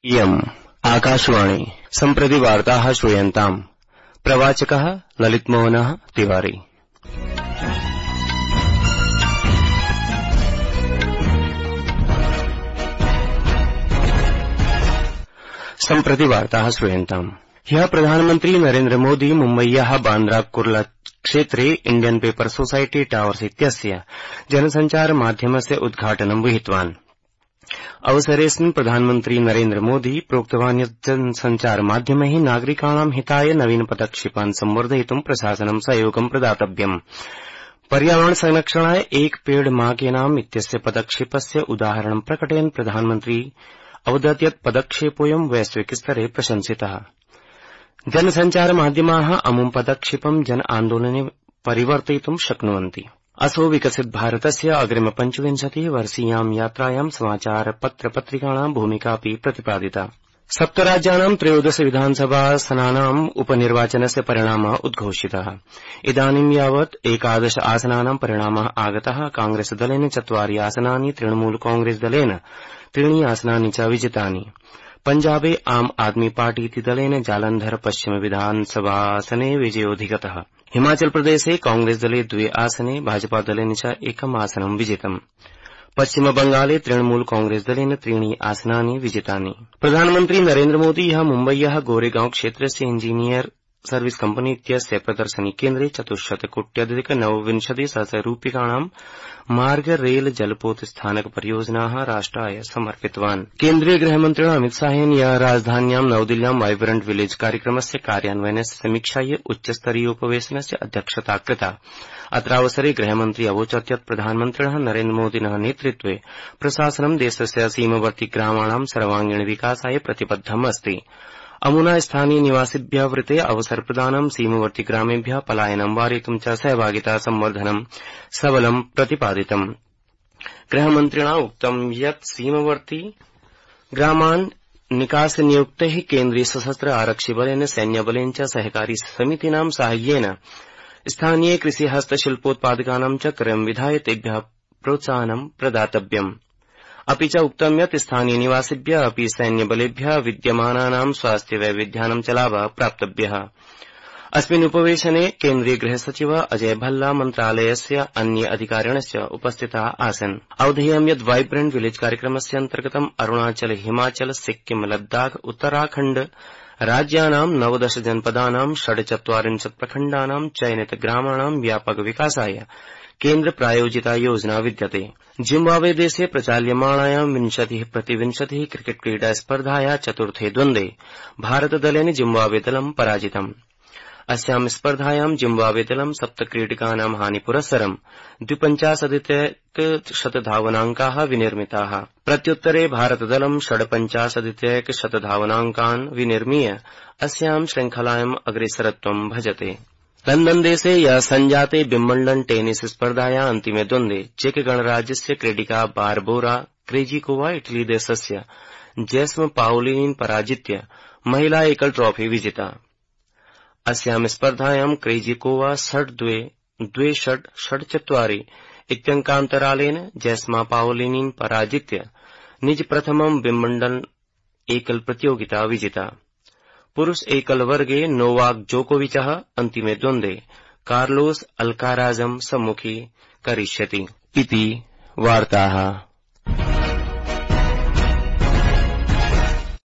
इयम् आकाशवाणी सम्प्रति वार्ताः श्रूयन्ताम्। प्रवाचकः ललितमोहनः तिवारी। सम्प्रति वार्ताः श्रूयन्ताम्। ह्यः प्रधानमन्त्री नरेन्द्र मोदी मुम्बय्याः बान्द्रा कुर्ला क्षेत्रे इण्डियन् पेपर् सोसायटी टावर्स इत्यस्य जनसञ्चार माध्यमस्य उद्घाटनं विहितवान्। अवसरेऽस्मिन् प्रधानमन्त्री नरेन्द्र मोदी प्रोक्तवान् यत् जनसञ्चार माध्यमैः नागरिकाणां हिताय नवीन पदक्षेपान् संवर्धयितुं प्रशासनं सहयोगं प्रदातव्यम्। पर्यावरण संरक्षणाय एक पेड़ मां के नाम इत्यस्य पदक्षेपस्य उदाहरणं प्रकटयन् प्रधानमन्त्री अवदत् यत् पदक्षेपोऽयं वैश्विक स्तरे प्रशंसितः। जनसञ्चार माध्यमाः अमुं पदक्षेपं जन आन्दोलने परिवर्तयितुं शक्नुवन्ति। असौ विकसित भारतस्य अग्रिम 25 वर्षीयां यात्रायां समाचार पत्र पत्रिकाणां भूमिकापि प्रतिपादिता। 7 राज्यानां 13 विधानसभासनानाम् उपनिर्वाचनस्य परिणामः उद्घोषितः। इदानीं यावत् 11 आसनानां परिणामः आगतः। कांग्रेस दलेन 4 आसनानि, तृणमूल कांग्रेस दलेन 3 आसनानि च विजितानि। पंजाबे आम आदमी पार्टीति दलेन जालंधर पश्चिम विधानसभासने विजयोऽधिगतः। हिमाचल प्रदेशे कांग्रेस दले 2 आसने, भाजपा दलेन च 1 आसनं विजितम्। पश्चिम बंगाले तृणमूल कांग्रेस दलेन 3 आसनानि विजितानि। प्रधानमन्त्री नरेन्द्र मोदी ह्यः मुम्बय्याः गोरेगांव क्षेत्रस्य इंजीनियर सर्विस कम्पनी इत्यस्य प्रदर्शनी केन्द्रे 400,99,000 रूप्यकाणां मार्ग रेल जलपोत स्थानक परियोजनाः राष्ट्राय समर्पितवान्। केन्द्रीय गृहमन्त्रिणा अमित शाहेन ह्यः राजधान्यां नवदिल्ल्यां वाइब्रेंट विलेज कार्यक्रमस्य कार्यान्वयनस्य समीक्षायै उच्चस्तरीयोपवेशनस्य अध्यक्षता कृता। अत्रावसरे गृहमन्त्री अवोचत् यत् प्रधानमन्त्रिणः नरेन्द्र मोदिनः नेतृत्वे प्रशासनं देशस्य सीमवर्ति ग्रामाणां सर्वांगीण विकासाय प्रतिबद्धम् अस्ति। अमुना स्थानीय निवासिभ्यः वृते अवसर प्रदानं, सीमवर्ति ग्रामेभ्यः पलायनं वारयितुं च सहभागिता संवर्धनं सबलं प्रतिपादितम्। गृहमन्त्रिणा उक्तं यत् सीमवर्ति ग्रामान् निकासनियुक्तैः केन्द्रीय सशस्त्र आरक्षिबलेन, सैन्यबलेन च सहकारी समितीनां साहाय्येन स्थानीय कृषि हस्तशिल्पोत्पादकानां च क्रयं विधाय तेभ्यः प्रोत्साहनं प्रदातव्यम्। अपि च उक्तं यत् स्थानीय निवासिभ्यः अपि सैन्यबलेभ्यः विद्यमानानां स्वास्थ्य वैविध्यानां च लाभः प्राप्तव्यः। अस्मिन् उपवेशने केन्द्रीय गृहसचिव अजय भल्ला, मन्त्रालयस्य अन्य अधिकारिणश्च उपस्थिताः आसन्। अवधेयं यत् वाइब्रेंट विलेज कार्यक्रमस्य अन्तर्गतं अरुणाचल, हिमाचल, सिक्किम, लद्दाख, उत्तराखण्ड राज्यानां 19 जनपदानां 46 प्रखण्डानां चयनित ग्रामाणां व्यापक विकासाय केन्द्र प्रायोजिता योजना विद्यते। जिम्बाब्वे देशे प्रचाल्यमाणायां 20-20 क्रिकेट क्रीडा स्पर्धाया चतुर्थे द्वन्द्वे भारतदलेन जिम्बाब्वे दलं पराजितम्। अस्यां स्पर्धायां जिम्बाब्वे दलं 7 क्रीडकानां हानिपुरस्सरं 52-100 धावनाङ्काः विनिर्मिताः। प्रत्युत्तरे भारतदलं 56-100 धावनाङ्कान् विनिर्मीय अस्यां श्रृङ्खलायाम् अग्रेसरत्वं भजते। लंदन देशे ह्यः सञ्जाते विम्बल्डन् टेनिस स्पर्धाया अन्तिमे द्वन्द्वे चेक गणराज्यस्य क्रीडिका बार्बोरा क्रेजिकोवा इटली देशस्य जेस्म पाओलिनीन् पराजित्य महिला एकल ट्रॉफी विजिता। अस्यां स्पर्धायां क्रेजिकोवा 6-2, 2-6, 6-4 इत्यङ्कान्तरालेन जेस्मा पाओलिनीन् पराजित्य निज प्रथमं विम्बल्डन् एकल प्रतियोगिता विजिता। पुरुष एकल वर्गे नोवाक जोकोविचः अन्तिमे द्वन्द्वे कार्लोस अल्काराजं सम्मुखी करिष्यति। इति वार्ताः।